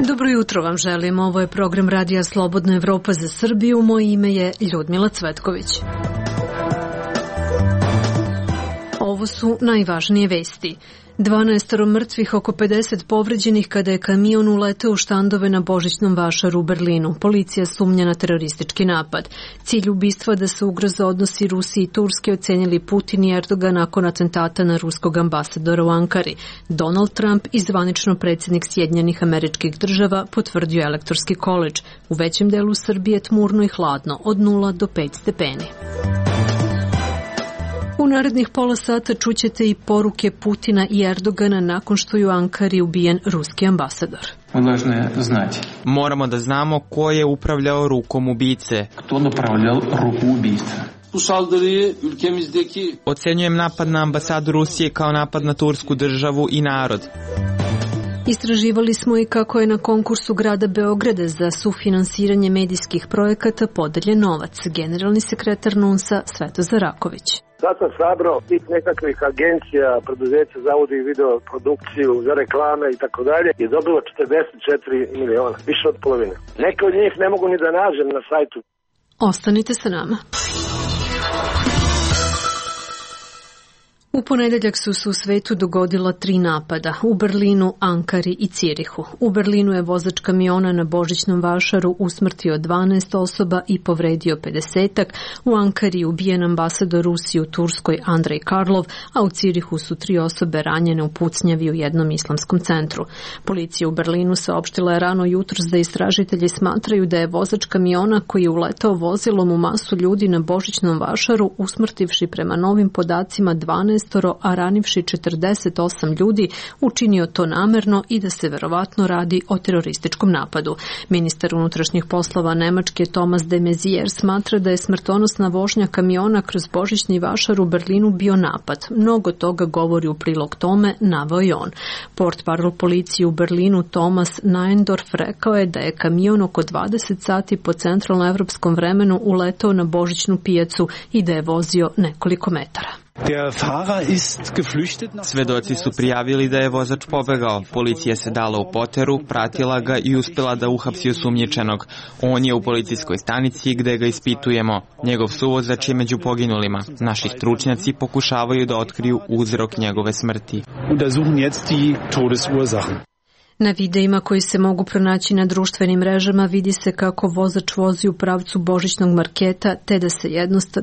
Dobro jutro vam želim. Ovo je program Radija Slobodna Evropa za Srbiju. Moje ime je Ljudmila Cvetković. Ovo su najvažnije vesti. 12 mrtvih, oko 50 povređenih kada je kamion uleteo u štandove na Božićnom vašaru u Berlinu. Policija sumnja na teroristički napad. Cilj ubistva da se ugroze odnosi Rusije i Turske ocenili Putin i Erdogan nakon atentata na ruskog ambasadora u Ankari. Donald Trump i zvanično predsjednik Sjedinjenih Američkih Država potvrdio Elektorski koledž. U većem delu Srbije tmurno i hladno, od 0 do 5 stepeni. U narednih pola sata čućete i poruke Putina i Erdogana nakon što je u Ankari ubijen ruski ambasador. Moramo da znamo ko je upravljao rukom ubice. Ocenjujem napad na ambasadu Rusije kao napad na tursku državu i narod. Istraživali smo i kako je na konkursu grada Beograda za sufinansiranje medijskih projekata podeljen novac. Generalni sekretar NUNS-a Svetozar Raković. Sad sam sabrao tih nekakvih agencija, preduzeća za audio i video produkciju, za reklame i tako dalje i dobilo 44 miliona, više od polovine. Neke od njih ne mogu ni da nađem na sajtu. Ostanite sa nama. U ponedeljak su se u svetu dogodila 3 napada, u Berlinu, Ankari i Cirihu. U Berlinu je vozač kamiona na Božićnom vašaru usmrtio 12 osoba i povredio 50-ak, u Ankari ubijen ambasador Rusije u Turskoj Andrej Karlov, a u Cirihu su 3 osobe ranjene u pucnjavi u jednom islamskom centru. Policija u Berlinu saopštila je rano jutros da istražitelji smatraju da je vozač kamiona koji je uletao vozilom u masu ljudi na Božićnom vašaru usmrtivši prema novim podacima 12, a ranivši 48 ljudi, učinio to namerno i da se verovatno radi o terorističkom napadu. Ministar unutrašnjih poslova Nemačke Thomas de Maizière smatra da je smrtonosna vožnja kamiona kroz Božićni vašar u Berlinu bio napad. Mnogo toga govori u prilog tome, naveo je on. Portparol policije u Berlinu Thomas Neindorf rekao je da je kamion oko 20 sati po centralnoevropskom vremenu uletao na Božićnu pijacu i da je vozio nekoliko metara. Svedoci su prijavili da je vozač pobegao. Policija se dala u poteru, pratila ga i uspjela da uhapsi osumnjičenog. On je u policijskoj stanici gde ga ispitujemo. Njegov suvozač je među poginulima. Naši stručnjaci pokušavaju da otkriju uzrok njegove smrti. Na videima koji se mogu pronaći na društvenim mrežama vidi se kako vozač vozi u pravcu Božićnog marketa te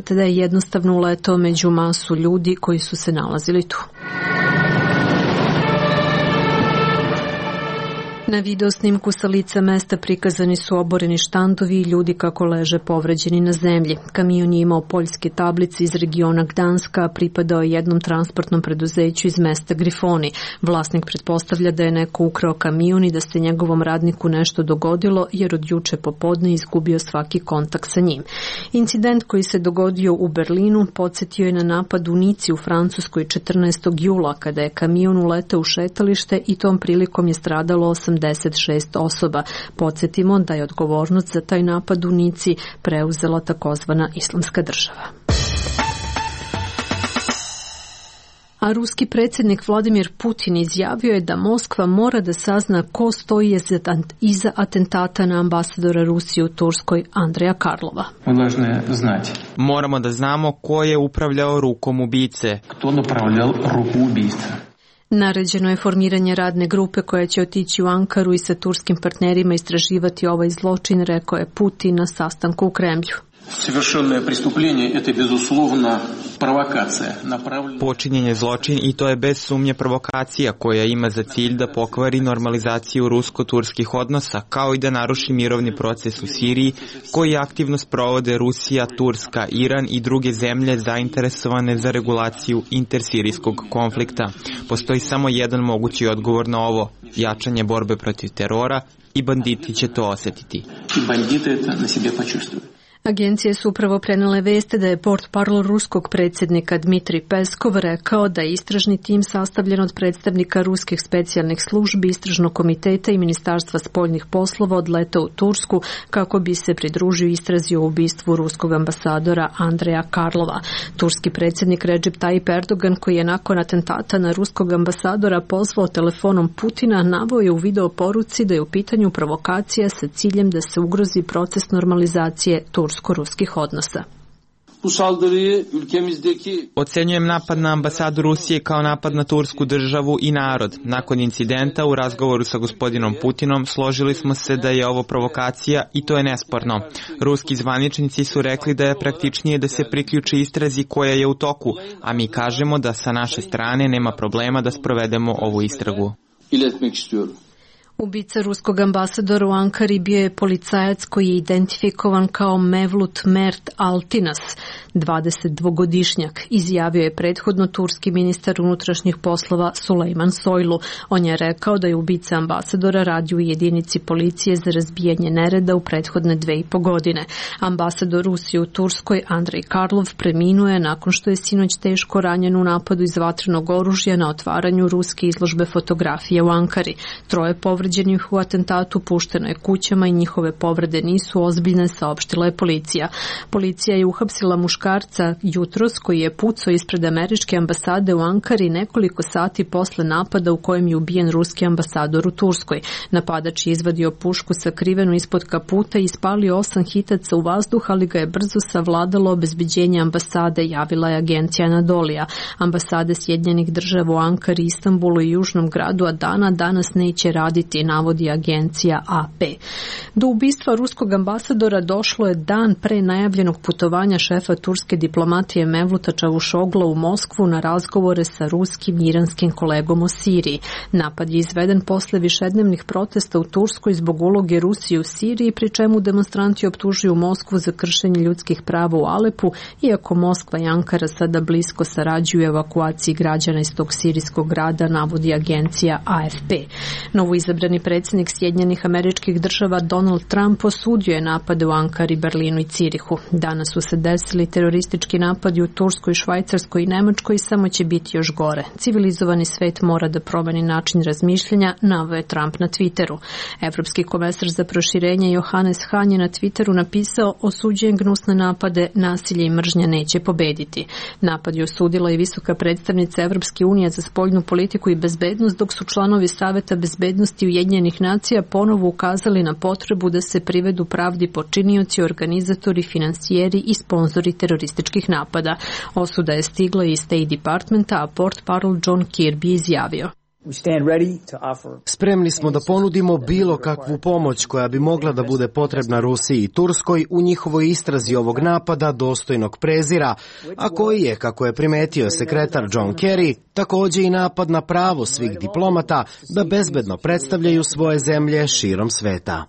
da je jednostavno uletao među masu ljudi koji su se nalazili tu. Na video snimku sa lica mesta prikazani su oboreni štandovi i ljudi kako leže povređeni na zemlji. Kamion je imao poljske tablice iz regiona Gdanska, a pripadao je jednom transportnom preduzeću iz mesta Grifoni. Vlasnik pretpostavlja da je neko ukrao kamion i da se njegovom radniku nešto dogodilo jer od juče popodne izgubio svaki kontakt sa njim. Incident koji se dogodio u Berlinu podsjetio je na napad u Nici u Francuskoj 14. jula kada je kamion uletao u šetalište i tom prilikom je stradalo 86 osoba. Podsjetimo da je odgovornost za taj napad u Nici preuzela takozvana Islamska država. A ruski predsjednik Vladimir Putin izjavio je da Moskva mora da sazna ko stoji iza atentata na ambasadora Rusije u Turskoj Andreja Karlova. Moramo da znamo ko je upravljao rukom ubice. Naređeno je formiranje radne grupe koja će otići u Ankaru i sa turskim partnerima istraživati ovaj zločin, rekao je Putin na sastanku u Kremlju. Počinjen je zločin i to je bez sumnje provokacija koja ima za cilj da pokvari normalizaciju rusko-turskih odnosa kao i da naruši mirovni proces u Siriji koji aktivno sprovode Rusija, Turska, Iran i druge zemlje zainteresovane za regulaciju intersirijskog konflikta. Postoji samo jedan mogući odgovor na ovo, jačanje borbe protiv terora i banditi će to osjetiti. Agencije su upravo prenele veste da je portparol ruskog predsjednika Dmitrij Peskov rekao da je istražni tim sastavljen od predstavnika ruskih specijalnih službi, istražnog komiteta i Ministarstva spoljnih poslova odletao u Tursku kako bi se pridružio istrazi o ubistvu ruskog ambasadora Andreja Karlova. Turski predsjednik Recep Tayyip Erdogan, koji je nakon atentata na ruskog ambasadora pozvao telefonom Putina, naveo je u video poruci da je u pitanju provokacija sa ciljem da se ugrozi proces normalizacije tursko-ruskih odnosa. Ocenjujem napad na ambasadu Rusije kao napad na tursku državu i narod. Nakon incidenta u razgovoru sa gospodinom Putinom složili smo se da je ovo provokacija i to je nesporno. Ruski zvaničnici su rekli da je praktičnije da se priključi istrazi koja je u toku, a mi kažemo da sa naše strane nema problema da sprovedemo ovu istragu. Ubica ruskog ambasadora u Ankari bio je policajac koji je identifikovan kao Mevlut Mert Altinas, 22-godišnjak, izjavio je prethodno turski ministar unutrašnjih poslova Sulejman Soylu. On je rekao da je ubica ambasadora radio u jedinici policije za razbijanje nereda u prethodne 2,5 godine. Ambasador Rusije u Turskoj Andrej Karlov preminuo je nakon što je sinoć teško ranjen u napadu iz vatrenog oružja na otvaranju ruske izložbe fotografije u Ankari. 3 povređenih u atentatu pušteno je kućama i njihove povrede nisu ozbiljne, saopštila je policija. Policija je uhapsila muškarca jutros koji je pucao ispred američke ambasade u Ankari nekoliko sati posle napada u kojem je ubijen ruski ambasador u Turskoj. Napadač je izvadio pušku sakrivenu ispod kaputa i ispalio 8 hitaca u vazduh, ali ga je brzo savladalo obezbeđenje ambasade, javila je agencija Anadolija. Ambasade Sjedinjenih Država u Ankari, Istanbulu i južnom gradu Adana danas neće raditi, navodi agencija AP. Do ubistva ruskog ambasadora došlo je dan pre najavljenog putovanja šefa turske diplomatije Mevluta Čavušogla u Moskvu na razgovore sa ruskim i iranskim kolegom o Siriji. Napad je izveden posle višednevnih protesta u Turskoj zbog uloge Rusije u Siriji, pri čemu demonstranti optužuju Moskvu za kršenje ljudskih prava u Alepu, iako Moskva i Ankara sada blisko sarađuju u evakuaciji građana iz tog sirijskog grada, navodi agencija AFP. Novoizabrani predsjednik Sjedinjenih Američkih Država Donald Trump osudio je napade u Ankari, Berlinu i Cirihu. Danas su se desili teroristički napadi u Turskoj, Švajcarskoj i Nemačkoj i samo će biti još gore. Civilizovani svet mora da promeni način razmišljanja, naveo je Trump na Twitteru. Evropski komesar za proširenje Johannes Hahn je na Twitteru napisao: osuđujem gnusne napade, nasilje i mržnja neće pobediti. Napad je osudila i visoka predstavnica Evropske unije za spoljnu politiku i bezbednost, dok su članovi Saveta bezbednosti Ujedinjenih nacija ponovo ukazali na potrebu da se privedu pravdi počinioci, organizatori, finansijeri i sponzori terorističkih napada. Osuda je stigla iz State Departmenta, a portparol John Kirby izjavio: spremni smo da ponudimo bilo kakvu pomoć koja bi mogla da bude potrebna Rusiji i Turskoj u njihovoj istrazi ovog napada dostojnog prezira, a koji je, kako je primetio sekretar John Kerry, također i napad na pravo svih diplomata da bezbedno predstavljaju svoje zemlje širom sveta.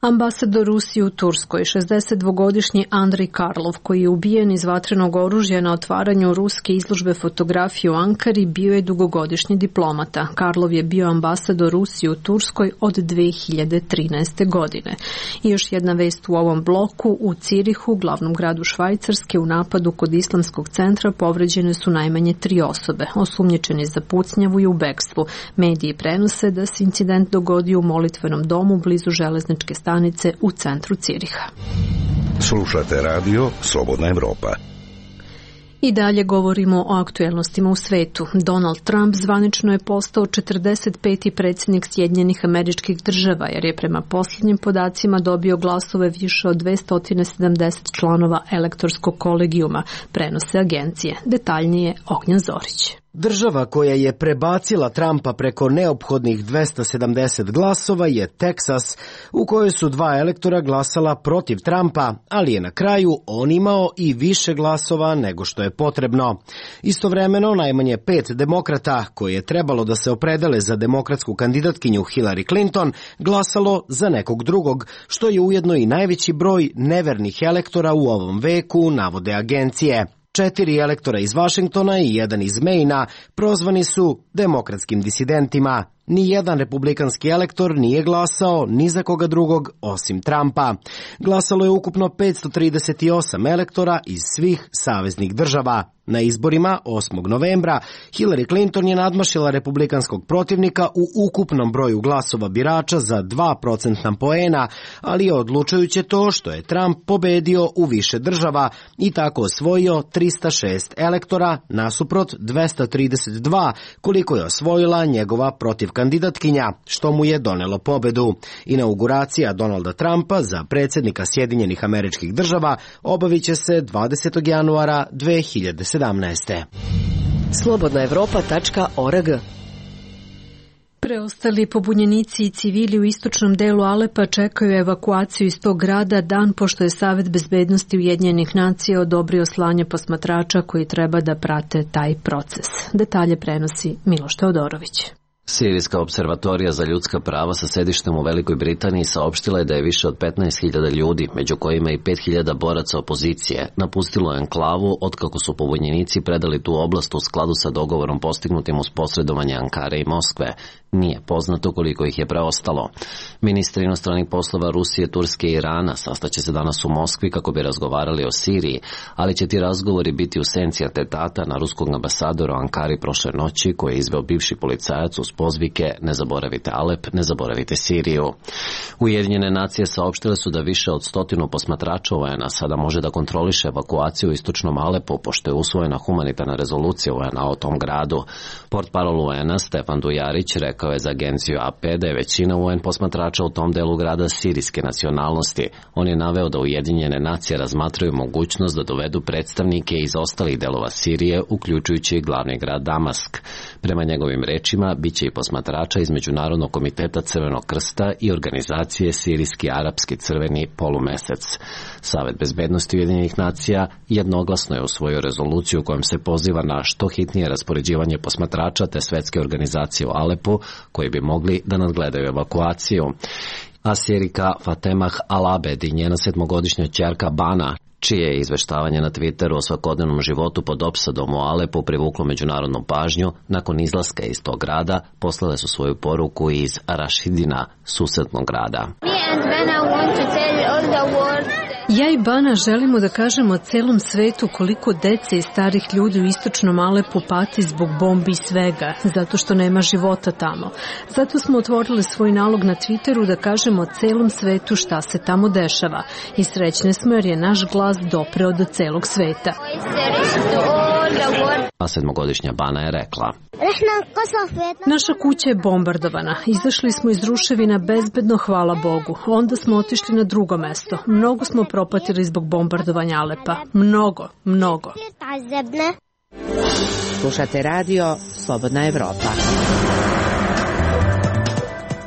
Ambasador Rusije u Turskoj, 62-godišnji Andrej Karlov, koji je ubijen iz vatrenog oružja na otvaranju ruske izložbe fotografije u Ankari, bio je dugogodišnji diplomata. Karlov je bio ambasador Rusije u Turskoj od 2013. godine. I još jedna vest u ovom bloku: u Cirihu, glavnom gradu Švajcarske, u napadu kod islamskog centra povređene su najmanje 3 osobe, osumnjičeni za pucnjavu i u bekstvu. Mediji prenose da se incident dogodio u molitvenom domu blizu železničke stanice u centru Ciriha. Slušate radio Slobodna Evropa. I dalje govorimo o aktuelnostima u svetu. Donald Trump zvanično je postao 45. predsjednik Sjedinjenih Američkih Država, jer je prema posljednjim podacima dobio glasove više od 270 članova elektorskog kolegijuma, prenose agencije. Detaljnije Ognjen Zorić. Država koja je prebacila Trumpa preko neophodnih 270 glasova je Teksas, u kojoj su 2 elektora glasala protiv Trumpa, ali je na kraju on imao i više glasova nego što je potrebno. Istovremeno, najmanje 5 demokrata, koje je trebalo da se opredele za demokratsku kandidatkinju Hillary Clinton, glasalo za nekog drugog, što je ujedno i najveći broj nevernih elektora u ovom veku, navode agencije. 4 elektora iz Vašingtona i 1 iz Maina prozvani su demokratskim disidentima. Nijedan republikanski elektor nije glasao ni za koga drugog osim Trumpa. Glasalo je ukupno 538 elektora iz svih saveznih država. Na izborima 8. novembra Hillary Clinton je nadmašila republikanskog protivnika u ukupnom broju glasova birača za 2% poena, ali je odlučujuće to što je Trump pobedio u više država i tako osvojio 306 elektora nasuprot 232 koliko je osvojila njegova protivkandidatkinja, što mu je donelo pobedu. Inauguracija Donalda Trumpa za predsjednika Sjedinjenih Američkih Država obaviće se 20. januara 2017. Slobodnaevropa.org. Preostali pobunjenici i civili u istočnom delu Alepa čekaju evakuaciju iz tog grada dan pošto je Savet bezbednosti Ujedinjenih nacija odobrio slanje posmatrača koji treba da prate taj proces. Detalje prenosi Miloš Teodorović. Sirijska observatorija za ljudska prava sa sedištem u Velikoj Britaniji saopštila je da je više od 15.000 ljudi, među kojima i 5.000 boraca opozicije, napustilo enklavu otkako su pobunjenici predali tu oblast u skladu sa dogovorom postignutim uz posredovanje Ankare i Moskve. Nije poznato koliko ih je preostalo. Ministri inostranih poslova Rusije, Turske i Irana sastaće se danas u Moskvi kako bi razgovarali o Siriji, ali će ti razgovori biti u senci atentata na ruskog ambasadora u Ankari prošle noći koji je izveo bivši policajac uz pozvike "Ne zaboravite Alep, ne zaboravite Siriju". Ujedinjene nacije saopštile su da više od 100 posmatrača UN-a sada može da kontroliše evakuaciju u istočnom Alepu, pošto je usvojena humanitarna rezolucija UN-a o tom gradu. Portparol UN-a Stefan Dujarić rekao je za agenciju AP da je većina UN posmatrača u tom delu grada sirijske nacionalnosti. On je naveo da Ujedinjene nacije razmatraju mogućnost da dovedu predstavnike iz ostalih delova Sirije, uključujući glavni grad Damask. Prema njegovim rečima, biće i posmatrača iz Međunarodnog komiteta Crvenog krsta i organizacije Sirijski arapski crveni polumesec. Savet bezbednosti Ujedinjenih nacija jednoglasno je usvojio rezoluciju kojom se poziva na što hitnije raspoređivanje posmatrača te svetske organizacije u Alepu koji bi mogli da nadgledaju evakuaciju. Asirika Fatemah Al-Abed i njena 7-godišnja ćerka Bana, čije je izveštavanje na Twitteru o svakodnevnom životu pod opsadom u Alepu privuklo međunarodnu pažnju, nakon izlaska iz tog grada poslale su svoju poruku iz Rašidina, susednog grada. Ja i Bana želimo da kažemo celom svetu koliko dece i starih ljudi u istočnom Alepu pati zbog bombi i svega, zato što nema života tamo. Zato smo otvorili svoj nalog na Twitteru da kažemo celom svetu šta se tamo dešava. I srećne smo jer je naš glas dopreo do celog sveta. A 7-godišnja Bana je rekla: Naša kuća je bombardovana. Izašli smo iz ruševina bezbedno, hvala Bogu. Onda smo otišli na drugo mesto. Mnogo smo propatili zbog bombardovanja Alepa. Mnogo. Slušate radio Slobodna Evropa.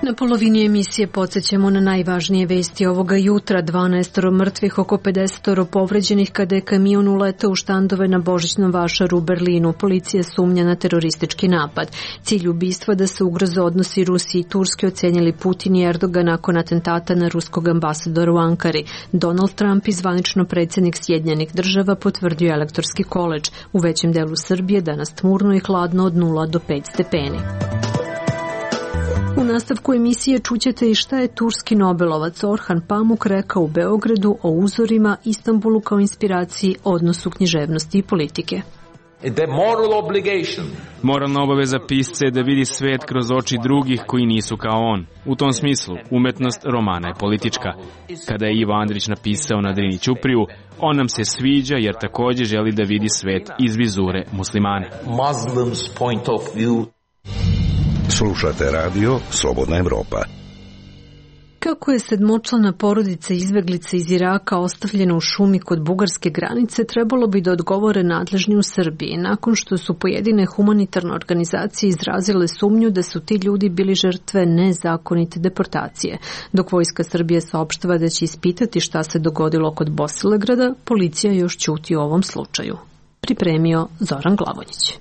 Na polovini emisije podsjećamo na najvažnije vesti ovoga jutra. 12 mrtvih, oko 50 povređenih kada je kamion uletao u štandove na Božićnom vašaru u Berlinu. Policija sumnja na teroristički napad. Cilj ubistva da se ugroze odnosi Rusije i Turske ocenjili Putin i Erdogan nakon atentata na ruskog ambasadora u Ankari. Donald Trump i zvanično predsjednik Sjedinjenih Država potvrdio elektorski koledž. U većem delu Srbije danas tmurno i hladno od 0 do 5 stepeni. U nastavku emisije čućete i šta je turski nobelovac Orhan Pamuk rekao u Beogradu o uzorima Istanbulu kao inspiraciji odnosu književnosti i politike. Moralna obaveza pisca je da vidi svet kroz oči drugih koji nisu kao on. U tom smislu, umetnost romana je politička. Kada je Ivo Andrić napisao na Drini ćupriju, on nam se sviđa jer također želi da vidi svet iz vizure muslimana. Slušate radio Slobodna Evropa. Kako je 7-člana porodica izbeglica iz Iraka ostavljena u šumi kod bugarske granice, trebalo bi da odgovore nadležni u Srbiji, nakon što su pojedine humanitarne organizacije izrazile sumnju da su ti ljudi bili žrtve nezakonite deportacije. Dok Vojska Srbije saopštava da će ispitati šta se dogodilo kod Bosilegrada, policija još ćuti o ovom slučaju. Pripremio Zoran Glavonjić.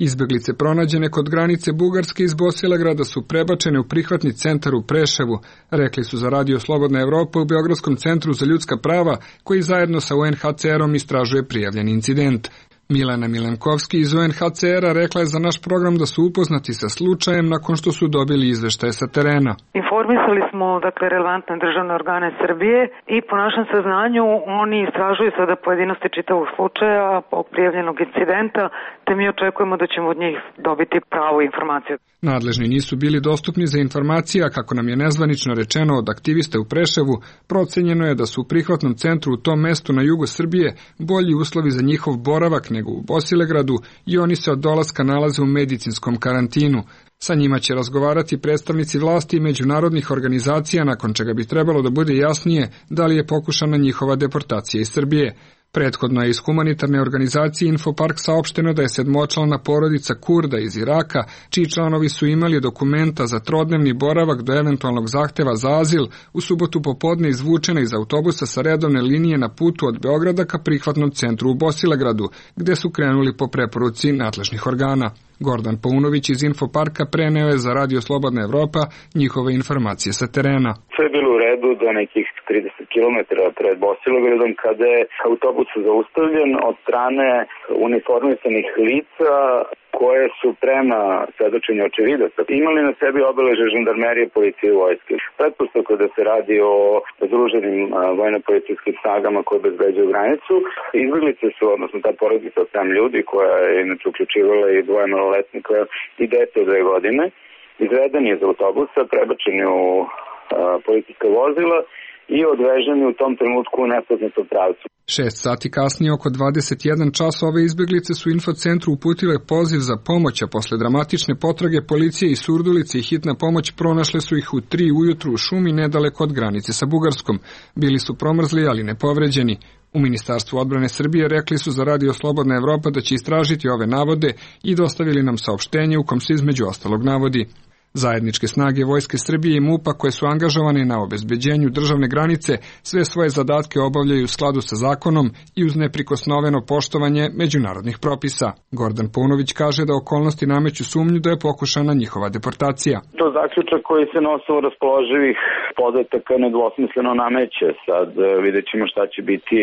Izbeglice pronađene kod granice Bugarske iz Bosilegrada su prebačene u prihvatni centar u Preševu, rekli su za radio Slobodna Evropa u Beogradskom centru za ljudska prava, koji zajedno sa UNHCR-om istražuje prijavljeni incident. Milana Milenkovski iz UNHCR-a rekla je za naš program da su upoznati sa slučajem nakon što su dobili izveštaje sa terena. Informisali smo relevantne državne organe Srbije i po našem saznanju oni istražuju sada pojedinosti čitavog slučaja prijavljenog incidenta, te mi očekujemo da ćemo od njih dobiti pravu informaciju. Nadležni nisu bili dostupni za informacije, a kako nam je nezvanično rečeno od aktivista u Preševu, procenjeno je da su u prihvatnom centru u tom mestu na jugu Srbije bolji uslovi za njihov boravak nego u Bosilegradu i oni se od dolaska nalaze u medicinskom karantinu. Sa njima će razgovarati predstavnici vlasti i međunarodnih organizacija, nakon čega bi trebalo da bude jasnije da li je pokušana njihova deportacija iz Srbije. Prethodno je iz humanitarne organizacije Infopark saopšteno da je sedmočlana porodica Kurda iz Iraka, čiji članovi su imali dokumenta za trodnevni boravak do eventualnog zahteva za azil, u subotu popodne izvučena iz autobusa sa redovne linije na putu od Beograda ka prihvatnom centru u Bosilegradu, gde su krenuli po preporuci nadležnih organa. Gordan Paunović iz Infoparka preneo je za Radio Slobodna Evropa njihove informacije sa terena. Sve je bilo u redu do nekih 30 km pred Bosilegradom kada je autobus zaustavljen od strane uniformisanih lica koje su prema svedočenju očevidaca imali na sebi obeleže žandarmerije, policije i vojske. Pretpostavka da se radi o združenim vojno-policijskim snagama koje obezbeđuju granicu. Izbeglice su, odnosno ta porodica od 7 ljudi koja je inače uključivala i 2 maloletnika i dete od 2 godine, izveden je iz autobusa, prebačeni u policijska vozila i odveženi u tom trenutku u nepoznatom pravcu. 6 sati kasnije, oko 21 čas, ove izbeglice su infocentru uputile poziv za pomoć, a posle dramatične potrage policije i Surdulice i hitna pomoć pronašle su ih u 3 ujutru u šumi nedaleko od granice sa Bugarskom. Bili su promrzli, ali ne povređeni. U Ministarstvu odbrane Srbije rekli su za Radio Slobodna Evropa da će istražiti ove navode i dostavili nam saopštenje u kom se između ostalog navodi: zajedničke snage Vojske Srbije i MUP-a koje su angažovane na obezbeđenju državne granice sve svoje zadatke obavljaju u skladu sa zakonom i uz neprikosnoveno poštovanje međunarodnih propisa. Gordan Paunović kaže da okolnosti nameću sumnju da je pokušana njihova deportacija. To zaključak koji se na osnovu raspoloživih podataka nedvosmisleno nameće. Sad vidjet ćemo šta će biti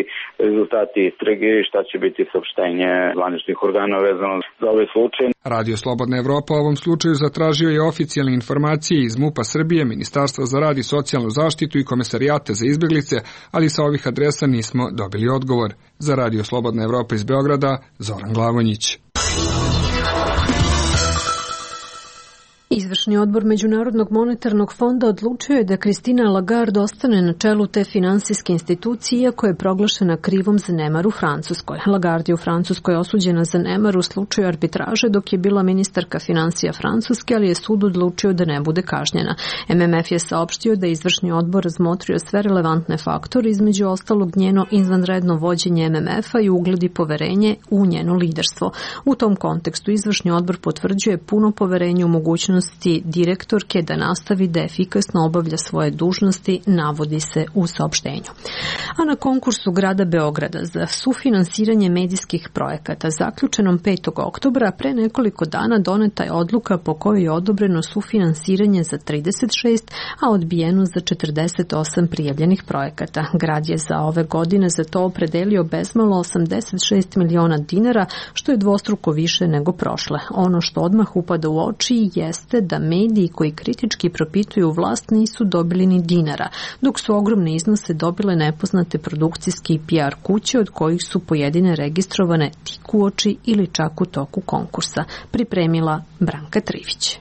rezultati istrage i šta će biti saopštenje zvaničnih organa vezano za ovaj slučaj. Radio Slobodna Evropa u ovom slučaju zatražio je oficijalne informacije iz MUP-a Srbije, Ministarstva za rad i socijalnu zaštitu i Komesarijata za izbeglice, ali sa ovih adresa nismo dobili odgovor. Za Radio Slobodna Evropa iz Beograda, Zoran Glavonjić. Izvršni odbor Međunarodnog monetarnog fonda odlučio je da Christine Lagarde ostane na čelu te finansijske institucije, iako je proglašena krivom za nemar u Francuskoj. Lagarde je u Francuskoj osuđena za nemar u slučaju arbitraže dok je bila ministarka finansija Francuske, ali je sud odlučio da ne bude kažnjena. MMF je saopštio da je izvršni odbor razmotrio sve relevantne faktore, između ostalog njeno izvanredno vođenje MMF-a i ugled i poverenje u njeno liderstvo. U tom kontekstu izvršni odbor potvrđuje puno poverenje u mogućnost direktorke da nastavi da efikasno obavlja svoje dužnosti, navodi se u saopštenju. A na konkursu grada Beograda za sufinansiranje medijskih projekata zaključenom 5. oktobra pre nekoliko dana doneta je odluka po kojoj je odobreno sufinansiranje za 36, a odbijeno za 48 prijavljenih projekata. Grad je za ove godine za to opredelio bezmalo 86 miliona dinara, što je dvostruko više nego prošle. Ono što odmah upada u oči jeste da mediji koji kritički propituju vlast nisu dobili ni dinara, dok su ogromne iznose dobile nepoznate produkcijske i PR kuće, od kojih su pojedine registrovane tik uoči ili čak u toku konkursa, pripremila Branka Trivić.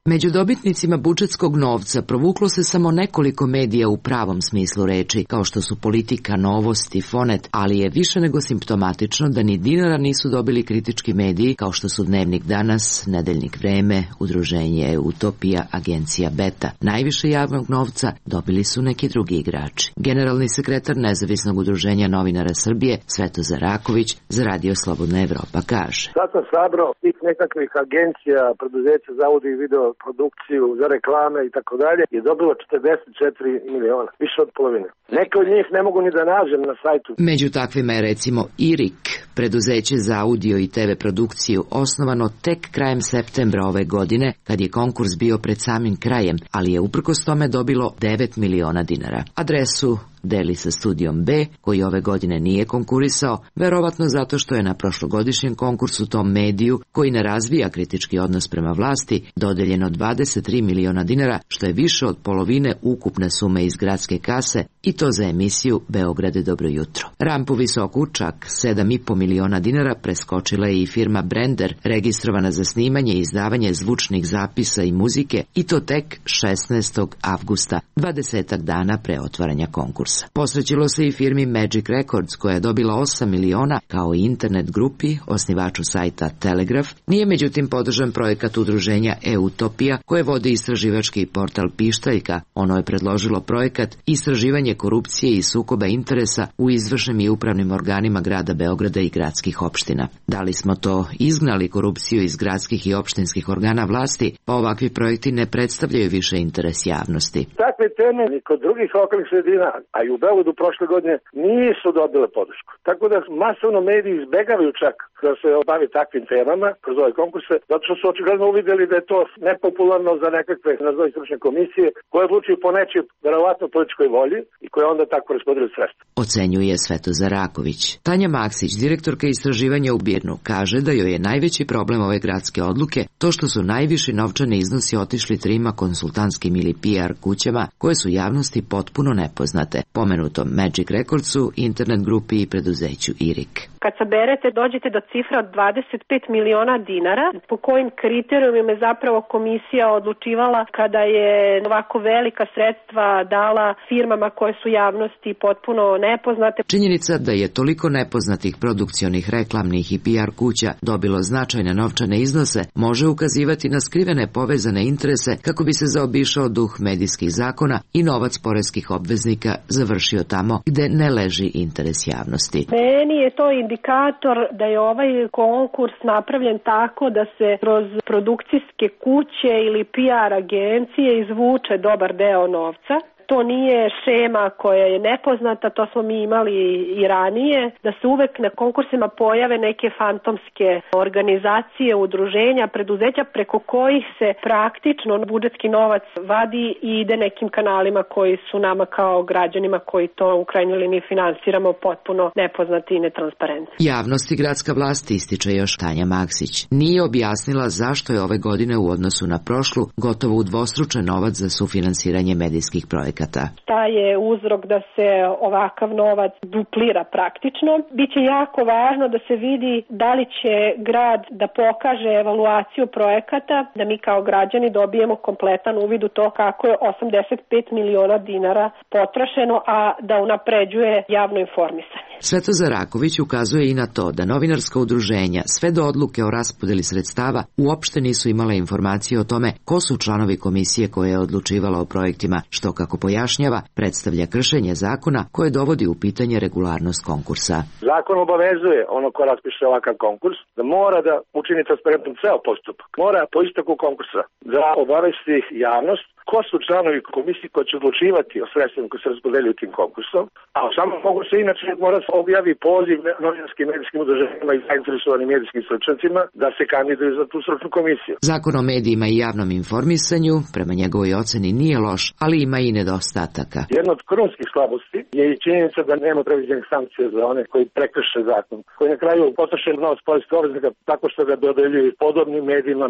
Među dobitnicima budžetskog novca provuklo se samo nekoliko medija u pravom smislu reči, kao što su Politika, Novost i Fonet, ali je više nego simptomatično da ni dinara nisu dobili kritički mediji, kao što su Dnevnik Danas, Nedeljnik Vreme, Udruženje Utopija, Agencija Beta. Najviše javnog novca dobili su neki drugi igrači. Generalni sekretar Nezavisnog udruženja novinara Srbije, Svetozar Raković, za Radio Slobodna Evropa kaže: Sad sam sabrao tih nekakvih agencija, preduzeća za audio i video produkciju, za reklame i tako dalje, je dobilo 44 miliona, više od polovine. Neke od njih ne mogu ni da nađem na sajtu. Među takvima je recimo IRIK, preduzeće za audio i TV produkciju, osnovano tek krajem septembra ove godine, kad je konkurs bio pred samim krajem, ali je uprkos tome dobilo 9 miliona dinara. Adresu deli sa Studijom B, koji ove godine nije konkurisao, verovatno zato što je na prošlogodišnjem konkursu tom mediju, koji ne razvija kritički odnos prema vlasti, dodeljeno 23 miliona dinara, što je više od polovine ukupne sume iz gradske kase, i to za emisiju Beograde dobro jutro. Rampu visoku, čak 7,5 miliona dinara, preskočila je i firma Brender, registrovana za snimanje i izdavanje zvučnih zapisa i muzike, i to tek 16. avgusta, 20 dana pre otvaranja konkursa. Posvećilo se i firmi Magic Records, koja je dobila 8 miliona, kao i internet grupi, osnivaču sajta Telegraf. Nije međutim podržan projekat udruženja E-Utopija, koje vodi istraživački portal Pištaljka. Ono je predložilo projekat istraživanje korupcije i sukoba interesa u izvršnim i upravnim organima grada Beograda i gradskih opština. Da li smo to izgnali korupciju iz gradskih i opštinskih organa vlasti, pa ovakvi projekti ne predstavljaju više interes javnosti. Takve teme ni kod drugih lokalnih sredina, a i u Beogradu prošle godine, nisu dobile podršku. Tako da masovno mediji izbegavaju čak da se obavi takvim temama kroz ove konkurse, zato što su očigledno uvideli da je to nepopularno za nekakve nazovi stručne komisije koje odlučuju po nečoj verovatno političkoj volji i koje onda tako raspodeljuju sredstva. Ocenjuje Svetozar Raković. Tanja Maksić, direktorka istraživanja u Birnu, kaže da joj je najveći problem ove gradske odluke to što su najviši novčani iznosi otišli trima konsultantskim ili PR kućama koje su javnosti potpuno nepoznate, pomenutom Magic Recordsu, internet grupi i preduzeću IRIK. Kad saberete, dođete do cifra od 25 miliona dinara, po kojim kriterijumima je zapravo komisija odlučivala kada je ovako velika sredstva dala firmama koje su javnosti potpuno nepoznate. Činjenica da je toliko nepoznatih produkcionih, reklamnih i PR kuća dobilo značajne novčane iznose može ukazivati na skrivene povezane interese kako bi se zaobišao duh medijskih zakona i novac poreskih obveznika završio tamo gde ne leži interes javnosti. Meni je to indikator da je ovaj konkurs napravljen tako da se kroz produkcijske kuće ili PR agencije izvuče dobar deo novca. To nije šema koja je nepoznata, to smo mi imali i ranije, da se uvek na konkursima pojave neke fantomske organizacije, udruženja, preduzeća preko kojih se praktično budžetski novac vadi i ide nekim kanalima koji su nama kao građanima koji to u krajnjoj liniji finansiramo potpuno nepoznati i netransparentni. Javnosti gradska vlast, ističe još Tanja Maksić, nije objasnila zašto je ove godine u odnosu na prošlu gotovo udvostručen novac za sufinansiranje medijskih projekata. Šta je uzrok da se ovakav novac duplira praktično? Biće jako važno da se vidi da li će grad da pokaže evaluaciju projekata, da mi kao građani dobijemo kompletan uvid u to kako je 85 miliona dinara potrošeno, a da unapređuje javno informisanje. Svetozar Raković ukazuje i na to da novinarska udruženja sve do odluke o raspodeli sredstava uopšte nisu imale informacije o tome ko su članovi komisije koja je odlučivala o projektima, što, kako pojašnjava, predstavlja kršenje zakona koje dovodi u pitanje regularnost konkursa. Zakon obavezuje ono ko raspiše ovakav konkurs da mora da učini transparentnom ceo postupak. Mora po isteku konkursa da obavesti javnost ko su članovi komisije koji će odlučivati o sredstvima koji se raspodeljuju tim konkursom, a u samom konkursu inače mora se objavi poziv novinarskim medijskim udruženjima i zainteresovanim medijskim stručnjacima da se kandiduju za tu stručnu komisiju. Zakon o medijima i javnom informisanju, prema njegovoj oceni, nije loš, ali ima i nedostataka. Jedna od krunskih slabosti je i činjenica da nema predviđenih sankcija za one koji prekrše zakon, koji na kraju potroše novac poreskih obveznika tako što ga dodeljuju podobnim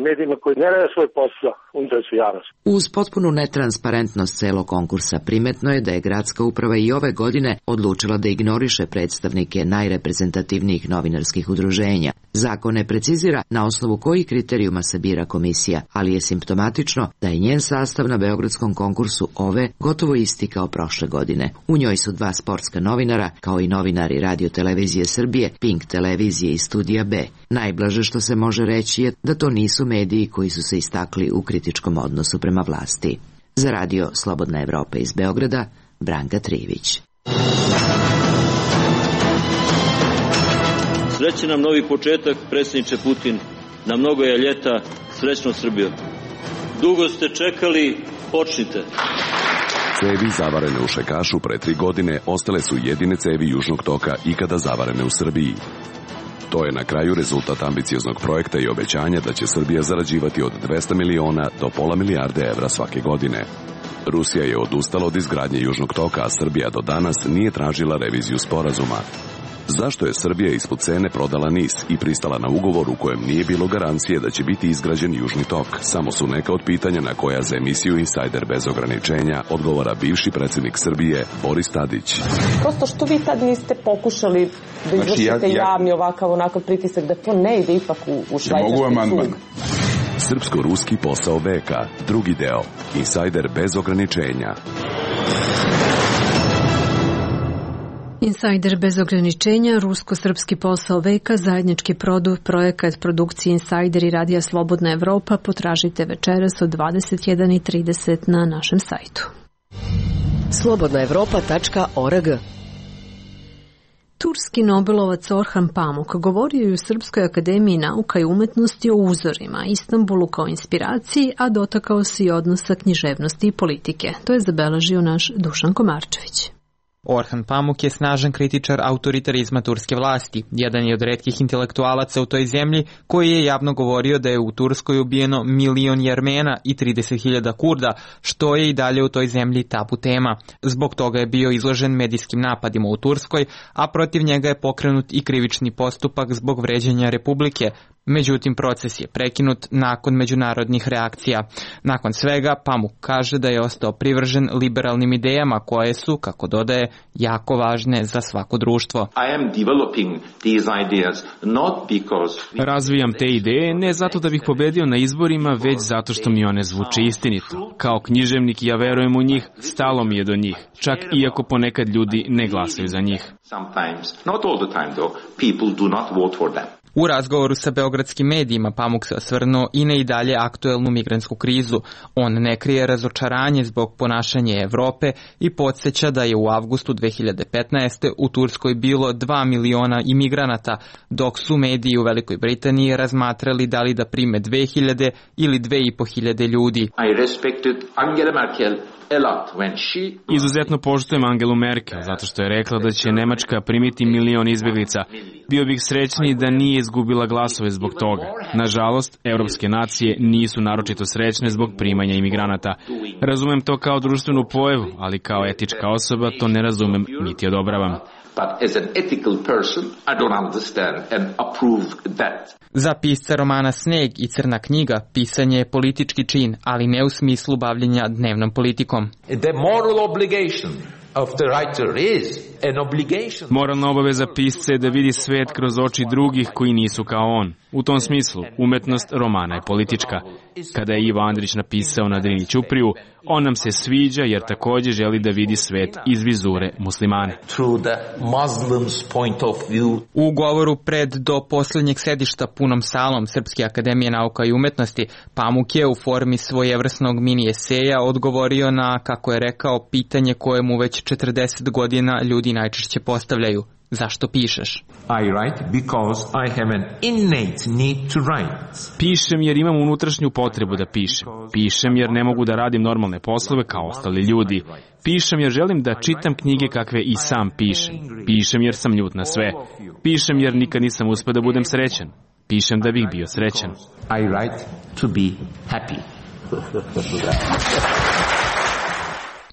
medijima koji ne rade svoj posao u interesu javnosti. Uz potpuno netransparentnost celog konkursa primetno je da je gradska uprava i ove godine odlučila da ignoriše predstavnike najreprezentativnijih novinarskih udruženja. Zakon ne precizira na osnovu kojih kriterijuma se bira komisija, ali je simptomatično da je njen sastav na beogradskom konkursu ove gotovo isti kao prošle godine. U njoj su 2 sportska novinara, kao i novinari Radio Televizije Srbije, Pink televizije i Studija B. Najblaže što se može reći je da to nisu mediji koji su se istakli u kritičkom odnosu prema vlasti. Za Radio Slobodna Evropa iz Beograda, Branka Trivić. Srećan nam novi početak, predsjedniče Putin. Na mnogo je ljeta, srećno Srbijo. Dugo ste čekali, počnite. Cevi zavarene u Šekašu pre 3 godine ostale su jedine cevi Južnog toka ikada zavarene u Srbiji. To je na kraju rezultat ambicioznog projekta i obećanja da će Srbija zarađivati od 200 miliona do pola milijarde evra svake godine. Rusija je odustala od izgradnje Južnog toka, a Srbija do danas nije tražila reviziju sporazuma. Zašto je Srbija ispod cene prodala NIS i pristala na ugovor u kojem nije bilo garancije da će biti izgrađen Južni tok? Samo su neka od pitanja na koja za emisiju Insajder bez ograničenja odgovara bivši predsjednik Srbije Boris Tadić. Prosto što vi tad niste pokušali da izvršite javni onakav pritisak da to ne ide ipak u švajcarski sud? Srpsko-ruski posao veka, drugi deo, Insajder bez ograničenja. Insajder bez ograničenja, rusko-srpski posao veka, zajednički projekat produkcije Insajder i Radija Slobodna Evropa potražite večeras od 21:30 na našem sajtu. slobodnaevropa.org. Turski Nobelovac Orhan Pamuk govorio je u Srpskoj akademiji nauka i umetnosti o uzorima, Istanbulu kao inspiraciji, a dotakao se i odnosa književnosti i politike. To je zabeležio naš Dušan Komarčević. Orhan Pamuk je snažan kritičar autoritarizma turske vlasti. Jedan je od retkih intelektualaca u toj zemlji koji je javno govorio da je u Turskoj ubijeno 1 milion Jermena i 30.000 Kurda, što je i dalje u toj zemlji tabu tema. Zbog toga je bio izložen medijskim napadima u Turskoj, a protiv njega je pokrenut i krivični postupak zbog vređanja Republike. Međutim, proces je prekinut nakon međunarodnih reakcija. Nakon svega, Pamuk kaže da je ostao privržen liberalnim idejama koje su, kako dodaje, jako važne za svako društvo. Razvijam te ideje ne zato da bih pobedio na izborima, već zato što mi one zvuče istinito. Kao književnik ja verujem u njih, stalo mi je do njih, čak iako ponekad ljudi ne glasaju za njih. U razgovoru sa beogradskim medijima Pamuk se osvrnuo i na i dalje aktuelnu migrantsku krizu. On ne krije razočaranje zbog ponašanja Evrope i podsjeća da je u avgustu 2015. u Turskoj bilo 2 miliona imigranata, dok su mediji u Velikoj Britaniji razmatrali da li da prime 2000 ili 2500 ljudi. Izuzetno poštujem Angelu Merkel, zato što je rekla da će Nemačka primiti 1 milion izbjeglica. Bio bih srećniji da nije izgubila glasove zbog toga. Nažalost, evropske nacije nisu naročito srećne zbog primanja imigranata. Razumem to kao društvenu pojavu, ali kao etička osoba to ne razumem niti odobravam. Za pisca romana Sneg i Crna knjiga pisanje je politički čin, ali ne u smislu bavljenja dnevnom politikom. Moralna obaveza pisca je da vidi svet kroz oči drugih koji nisu kao on. U tom smislu, umetnost romana je politička. Kada je Ivo Andrić napisao na Drini Ćupriju, on nam se sviđa jer također želi da vidi svet iz vizure muslimana. U govoru pred do posljednjeg sedišta punom salom Srpske akademije nauka i umetnosti, Pamuk je u formi svojevrsnog mini eseja odgovorio na, kako je rekao, pitanje koje mu već 40 godina ljudi najčešće postavljaju. Zašto pišeš? Pišem jer imam unutrašnju potrebu da pišem. Pišem jer ne mogu da radim normalne poslove kao ostali ljudi. Pišem jer želim da čitam knjige kakve i sam pišem. Pišem jer sam ljut na sve. Pišem jer nikad nisam uspio da budem srećan. Pišem da bih bio srećan.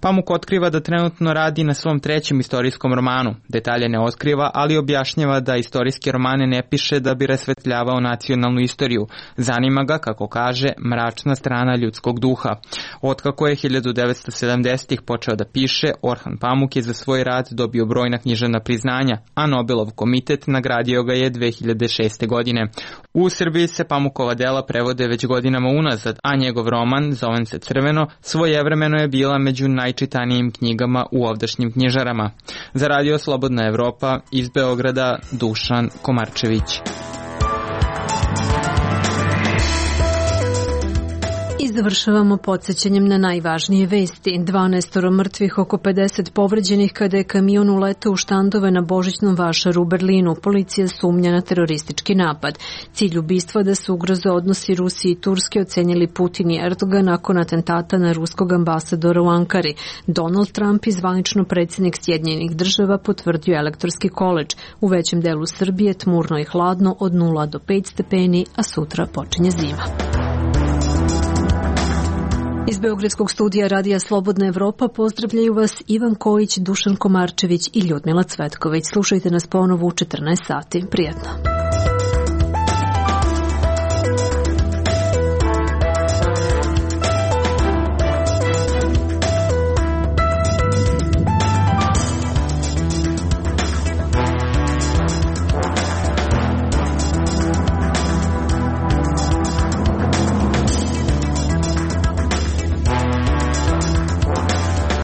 Pamuk otkriva da trenutno radi na svom 3. istorijskom romanu. Detalje ne otkriva, ali objašnjava da istorijske romane ne piše da bi rasvetljavao nacionalnu istoriju. Zanima ga, kako kaže, mračna strana ljudskog duha. Otkako je 1970-ih počeo da piše, Orhan Pamuk je za svoj rad dobio brojna književna priznanja, a Nobelov komitet nagradio ga je 2006. godine. U Srbiji se Pamukova dela prevode već godinama unazad, a njegov roman, Zovem se Crveno, svojevremeno je bila među najčitanijim knjigama u ovdašnjim knjižarama. Za Radio Slobodna Evropa iz Beograda, Dušan Komarčević. I završavamo podsjećanjem na najvažnije vesti. 12 mrtvih, oko 50 povređenih kada je kamion uletao u štandove na Božićnom vašaru u Berlinu. Policija sumnja na teroristički napad. Cilj ubistva da se ugroze odnosi Rusije i Turske ocenili Putin i Erdogan nakon atentata na ruskog ambasadora u Ankari. Donald Trump i zvanično predsjednik Sjedinjenih Država potvrdio elektorski koledž. U većem delu Srbije tmurno i hladno od 0 do 5 stepeni, a sutra počinje zima. Iz Beogradskog studija Radija Slobodna Evropa pozdravljaju vas Ivan Kojić, Dušan Komarčević i Ljudmila Cvetković. Slušajte nas ponovo u 14 sati. Prijetno.